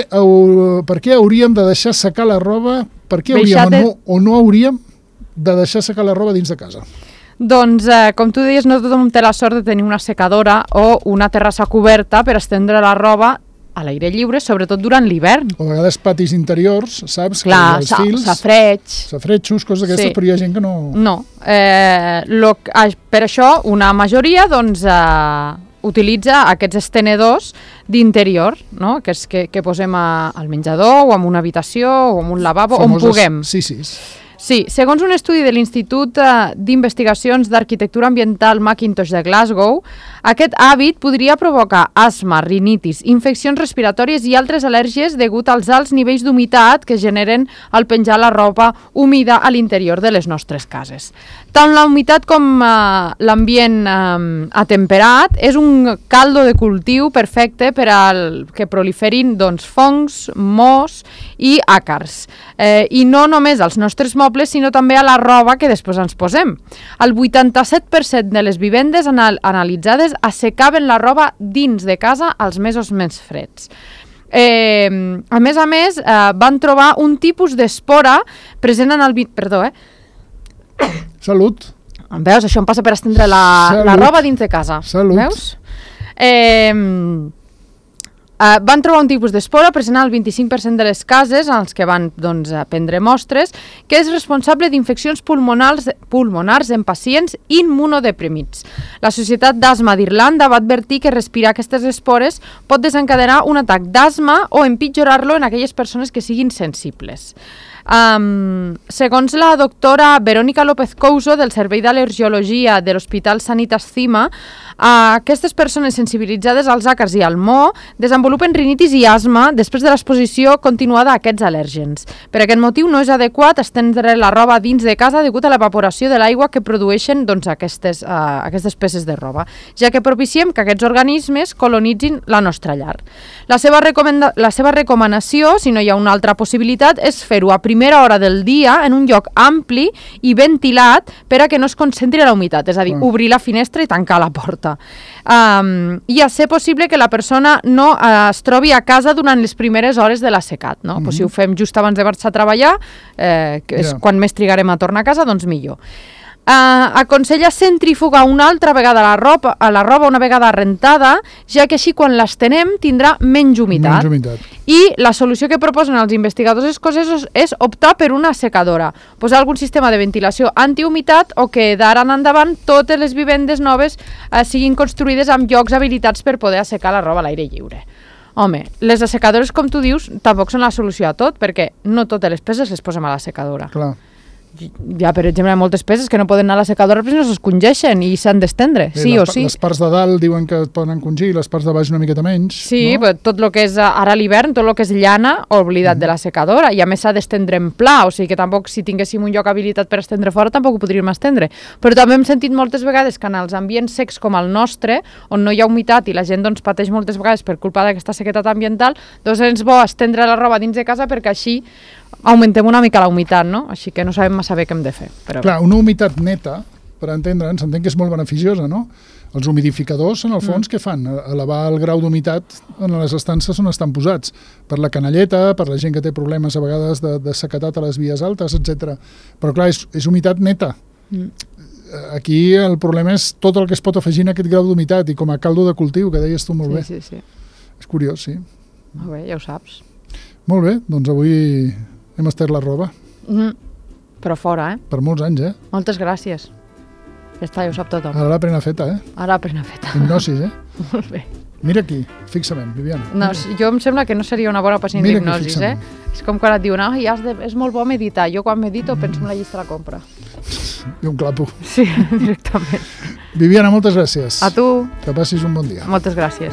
què hauríem de deixar secar la roba, per què hauríem o no hauríem de deixar secar la roba dins de casa? Doncs, com tu deies, no tothom té la sort de tenir una secadora o una terrassa coberta per estendre la roba a l'aire lliure, sobretot durant l'hivern. O a vegades patis interiors, saps? Clar, safretxos, coses d'aquestes, però hi ha gent que no... No. Per això, una majoria, doncs, utilitza aquests estenedors d'interior, no? Que posem al menjador o en una habitació o en un lavabo, on puguem. Sí, segons un estudi de l'Institut d'Investigacions d'Arquitectura Ambiental Mackintosh de Glasgow, aquest hàbit podria provocar asma, rinitis, infeccions respiratòries i altres al·lèrgies degut als alts nivells d'humitat que generen al penjar la roba humida a l'interior de les nostres cases. Tant la humitat com l'ambient atemperat és un caldo de cultiu perfecte per al que proliferin fongs, mos i àcars. I no només als nostres mobles, sinó també a la roba que després ens posem. El 87% de les vivendes analitzades assecaven la roba dins de casa als mesos més freds. A més, van trobar un tipus d'espora present en el... Perdó, Salut. Veus? Això em passa per estendre la roba dins de casa. Salut. Veus? Van trobar un tipus d'espora present al 25% de les cases en els que van prendre mostres, que és responsable d'infeccions pulmonars en pacients immunodeprimits. La Societat d'Asma d'Irlanda va advertir que respirar aquestes espores pot desencadenar un atac d'asma o empitjorar-lo en aquelles persones que siguin sensibles. Segons la doctora Verónica López Couso del Servei d'Al·lergiologia de l'Hospital Sanitas Cima, aquestes persones sensibilitzades als àcars i al mo desenvolupen rinitis i asma després de l'exposició continuada a aquests al·lèrgens. Per aquest motiu no és adequat estendre la roba dins de casa degut a l'evaporació de l'aigua que produeixen aquestes peces de roba, ja que propiciem que aquests organismes colonitzin la nostra llar. La seva recomanació, si no hi ha una altra possibilitat, és fer-ho a primera hora del dia en un lloc ampli i ventilat per a que no es concentri la humitat, és a dir, obrir la finestra i tancar la porta. I a ser possible que la persona no es trobi a casa durant les primeres hores de l'assecat, no? Pues si ho fem just abans de marxar a treballar, que és quan més trigarem a tornar a casa, doncs millor. Aconsella centrifugar una altra vegada la roba una vegada rentada, ja que així quan l'estenem tindrà menys humitat. I la solució que proposen els investigadors escocesos és optar per una secadora, posar algun sistema de ventilació antihumitat o que d'ara en endavant totes les vivendes noves siguin construïdes amb llocs habilitats per poder assecar la roba a l'aire lliure. Home, les assecadores, com tu dius, tampoc són la solució a tot, perquè no totes les peces les posem a la secadora. Clar. Hi ha, per exemple, moltes peces que no poden anar a la secadora perquè no s'escongeixen i s'han d'estendre, sí o sí. Les parts de dalt diuen que poden encongir, les parts de baix una miqueta menys. Sí, però tot el que és ara l'hivern, tot el que és llana, oblidat de la secadora, i a més s'ha d'estendre en pla, o sigui que tampoc, si tinguéssim un lloc habilitat per estendre fora, tampoc ho podríem estendre. Però també hem sentit moltes vegades que en els ambients secs com el nostre, on no hi ha humitat i la gent pateix moltes vegades per culpa d'aquesta sequedat ambiental, doncs és bo estendre la roba dins de casa perquè així augmentem una mica la humitat, no? Així que no sabem massa bé què hem de fer. Clar, una humitat neta, per entendre'ns, s'entén que és molt beneficiosa, no? Els humidificadors, en el fons, què fan? Elevar el grau d'humitat en les estances on estan posats. Per la canalleta, per la gent que té problemes a vegades de sequedat a les vies altes, etc. Però clar, és humitat neta. Aquí el problema és tot el que es pot afegir en aquest grau d'humitat i com a caldo de cultiu, que deies tu molt bé. Sí. És curiós, sí. Molt bé, ja ho saps. Molt bé, doncs avui hem estès la roba. Però fora, Per molts anys, Moltes gràcies. Ja està, ja ho sap tothom. Ara la prena feta, Ara la prena feta. Hipnosis, Molt bé. Mira aquí, fixament, Viviana. No, jo em sembla que no seria una bona pacient d'hipnosis, És com quan et diuen, és molt bo meditar. Jo quan medito penso en la llista de la compra. I un clapo. Sí, directament. Viviana, moltes gràcies. A tu. Que passis un bon dia. Moltes gràcies.